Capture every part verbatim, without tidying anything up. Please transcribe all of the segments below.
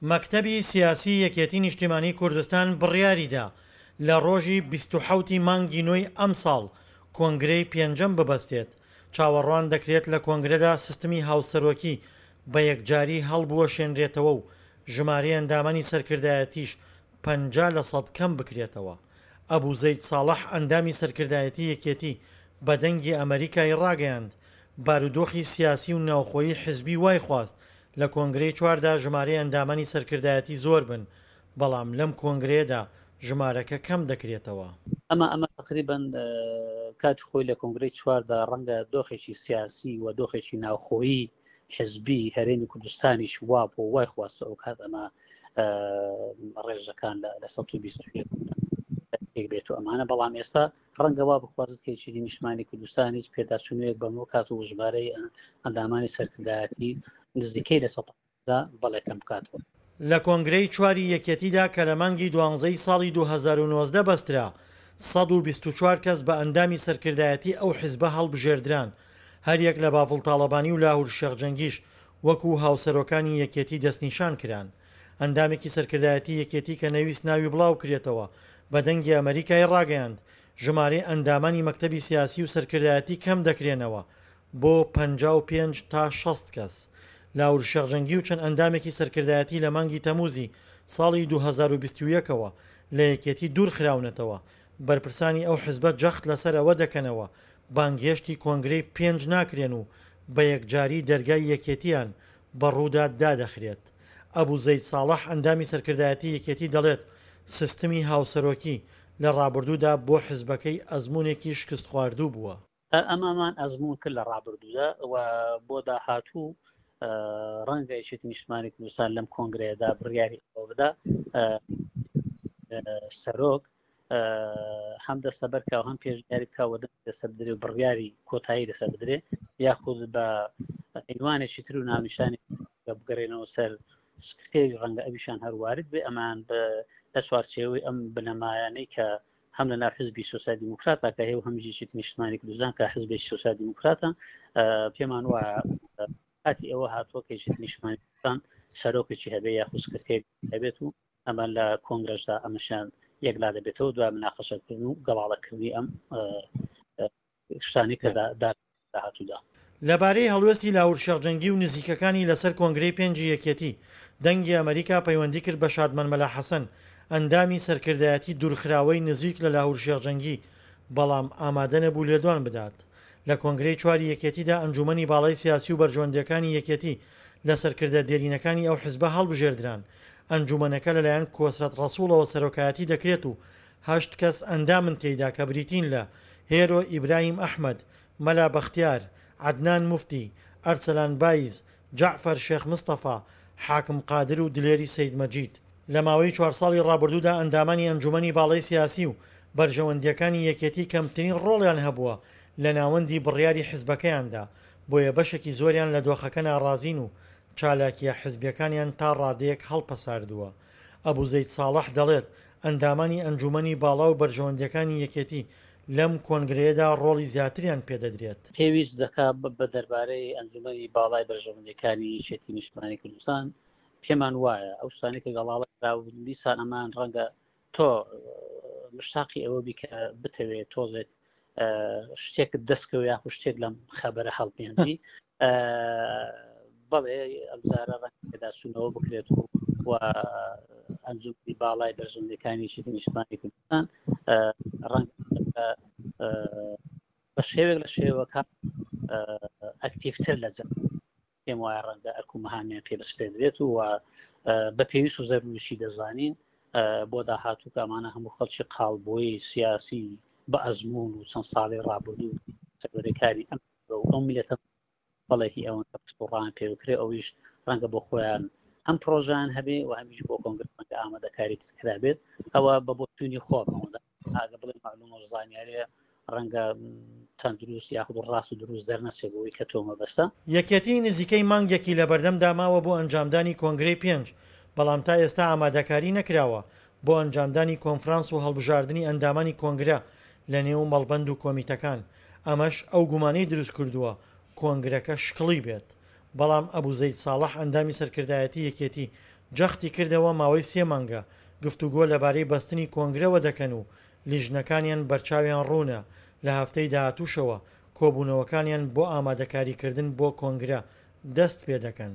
مەکتەبی سیاسی یەکێتی نیشتیمانی کوردستان بڕیاریدا لە ڕۆژی بیست و حەوت ی مانگی نۆی ئەمساڵ کۆنگرەی پێنجەم ببەستێت، چاوەڕوان دەکرێت لە کۆنگرەدا سیستمی هاوسەرۆکی بە یەکجاری هەڵبوەشێنرێتەوە و ژمارەی ئەندامانی سەرکردایەتیش پەنجا لە سەد کەم بکرێتەوە. ئەبو زەید ساڵح ئەندامی سەرکردایەتی یەکێتی بە دەنگی ئەمەریکای ڕاگەیاند، بارودۆخی سیاسی و ناوخۆیی حزبی وای خواست لە کۆنگرەی چواردا ژمارەی ئەندامانی سەرکردایەتی زۆر بن، بەڵام لەم کۆنگرەیەدا ژمارەکە کەم دەکرێتەوە. ئەمە ئەمە تەقریبەن کاتی خۆی لە کۆنگرەی چواردا ڕەنگە دۆخێکی سیاسی و دۆخێکی ناوخۆیی حزبی هەرێمی کوردستانیش وا بۆ وای خواستە ئەو کات ئەمە ڕێژەکان لە سەد و بیست و یەک پێک بێت و ئەمانە، بەڵام ئێستا ڕەنگە وا بخوازێت کە یەکێتی نیشتمانی کوردستانیش پێداچوونەوەیەک بەمەوە کات و ژمارەی ئەندامانی سەرکردایەتی نزیکەی لە سەد بەڵێ کەم بکاتەوە. لە کۆنگرەی چواری یەکێتیدا کە لە مانگی دوانزەی ساڵی دوو هەزار و نۆزدە بەسترا، سەد و بیست و چوار کەس بە ئەندامی سەرکردایەتی ئەو حزبە هەڵبژێردران، هەریەک لە بافڵ تاڵەبانی و لاهور شێخ جەنگیش وەکو هاوسەرۆکانی یەکێتی دەستنیشان کران. ئەندامێکی سەرکردایەتی یەکێتی کە نەویست ناوی بڵاوکرێتەوە بە دەنگی ئەمەریکای ڕاگەیاند، ژمارەی ئەندامانی مەکتەبی سیاسی و سەرکردایەتی کەم دەکرێنەوە بۆ پەنجا و پێنج تا شەست کەس. لاهور شێخ جەنگی و چەند ئەندامێکی سەرکردایەتی لە مانگی تەموزی ساڵی دوو هەزار و بیست و یەک ەوە لە یەکێتی دوورخراونەتەوە، بەرپرسانی ئەو حزبە جەخت لەسەر ئەوە دەکەنەوە بانگهێشتی کۆنگرەی پێنج ناکرێن و بە یەکجاری دەرگای یەکێتیان بە ڕوودا دادەخرێت. ئەبو زەید ساڵح ئەندامی سەرکردایەتی یەکێتی دەڵێت، سیستمی هاوسەرۆکی لە ڕابردوودا بۆ حزبەکەی ئەزموونێکی شکستخواردوو بووە. ئەمەمان ئەزموون کرد لە ڕابردوودا و بۆ داهاتوو ڕەنگە یەکێتی نیشتمانی کوردستان لەم کۆنگرەیەدا بڕیاری ئەوە بدا سەرۆک هەم دەستەبەر کا و هەم پێشنیاری بکا و دەنگ لەسەر بدرێ و بڕیاری کۆتایی لەسەر بدرێ، یاخود بە عینوانێکی تر و ناونیشانی بگەڕێنەوە سەر سکرتێری، ڕەنگە ئەویشان هەر وارد بێ. ئەمان لە چوارچێوەی ئەم بنەمایانەی کە هەم لە ناو حزبی سۆسیال دیموکراتا کە هەیە و هەم یەکێتی نیشتمانی کوردستان کە حزبێکی سۆسیال دیموکراتە، پێمان وایە کاتی ئەوە هاتووە کە یەکێتی نیشتمانی کوردستان سەرۆکێکی هەبێ یاخود سکرتێری هەبێت و ئەمە لە کۆنگرەشدا ئەمەشیان یەکلا دەبێتەوە دوای مناقەشەکردن و گەڵاڵەکردنی ئەم شتانی کە داهاتوودا. لەبارەی هەڵوێستی لاهور شێخ جەنگی و نزیکەکانی لەسەر کۆنگرەی پێنجی یەکێتی، دەنگی ئەمەریکا پەیوەندی کرد بە شادمان مەلا حەسەن، ئەندامی سەرکردایەتی دوورخراوەی نزیک لە لاهور شێخ جەنگی، بەڵام ئامادە نەبوو لێدوان بدات. لە کۆنگرەی چواری یەکێتیدا ئەنجومەنی باڵای سیاسی و بەرژەوەندییەکانی یەکێتی لە سەرکردە دێرینەکانی ئەو حزبە هەڵبژێردران. ئەنجومەنەکە لەلایەن کۆسرەت ڕەسوڵەوە سەرۆکایەتی دەکرێت و هەشت کەس ئەندامن تێیدا کە بریتین لە، هێرۆ ئیبراهیم ئەحمەد، مەلا بەختیار، عەدنان موفتی، ئەرسەلان بایز، جەعفەر شێخ مستەفا، حاکم قادر و دلێری سەید مەجید. لە ماوەی چوار ساڵی ڕابردوودا ئەندامانی ئەنجومەنی باڵای سیاسی و بەرژەوەندییەکانی یەکێتی کەمترین ڕۆڵیان هەبووە لە ناوەندی بڕیاری حزبەکەیاندا، بۆیە بەشێکی زۆریان لە دۆخەکە ناڕازین و چالاکییە حزبییەکانیان تا ڕادەیەک هەڵپەساردووە. ئەبو زەید ساڵح دەڵێت، ئەندامانی ئەنجومەنی باڵا و بەرژەوەندییەکانی یەکێتی لەم کۆنگرەیەدا ڕۆڵی زیاتریان پێدەدرێت. پێویست دەکات بە دەربارەی ئەنجومەنی باڵای بەرژەوەندییەکانی یەکێتی نیشتمانی کوردستان پێمان وایە ئەو شتانەی کە گەڵاڵە کراون دیسان ئەمان ڕەنگە تۆ مشتاقی ئەوە بی کە بتەوێت تۆزێک شتێکت دەستکەوێ یاخود شتێک لەم خەبەرە هەڵبێنجی. بەڵێ ئەمجارە ڕەنگە پێداچوونەوە بکرێت و و ئەنجومەنی باڵای بەرژەوەندییەکانی یەکێتی نیشتمانی کوردستان ڕەنگە بە شێوەیەک لە شێوەکان ئەکتیڤتر لە جەنگ پێم وایە ڕەنگە ئەرک و مەهامیان پێ بسپێندرێت و بە پێویست و زەروریشی دەزانین بۆ داهاتوو کە ئەمانە هەموو خەڵکی قاڵبووی سیاسی بە ئەزموون و چەند ساڵی ڕابردوو سەروەریکاری ئەم ئەو میلەتە بەڵێکی ئەوەن کە پشت و ڕان پێ بکرێ، ئەویش ڕەنگە بۆ خۆیان هەم پرۆژیان هەبێ و هەمیش بۆ کۆنگرە ڕەنگە ئامادەکاری تر کرابێت. ئەوە بە بۆچوونی خۆم ئەوەندە ئاگە بڵێ معلومە و زانیاریە ڕەنگە تەندروست یاخود ڕاست و دروست دەرنەچێ بۆی کە تۆ مەبەستە. یەکێتی نزیکەی مانگێکی لەبەردەمدا ماوە بۆ ئەنجامدانی کۆنگرەی پێنج، بەڵام تا ئێستا ئامادەکاری نەکراوە بۆ ئەنجامدانی کۆنفرانس و هەڵبژاردنی ئەندامانی کۆنگرە لەنێو مەڵبەند و کۆمیتەکان، ئەمەش ئەو گومانەی دروستکردووە کۆنگرەکە شکڵی بێت. بەڵام ئەبو زەید ساڵح ئەندامی سەرکردایەتی یەکێتی جەختی کردەوە ماوەی سێ مانگە گفتوگۆ لەبارەی بەستنی کۆنگرەوە دەکەن و لیژنەکانیان بەرچاویان ڕوونە، لە هەفتەی داهاتووشەوە کۆبوونەوەکانیان بۆ ئامادەکاریکردن بۆ کۆنگرە دەست پێدەکەن.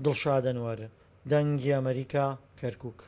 دڵشاد ئەنوەر، دەنگی ئەمەریکا، کەرکوک.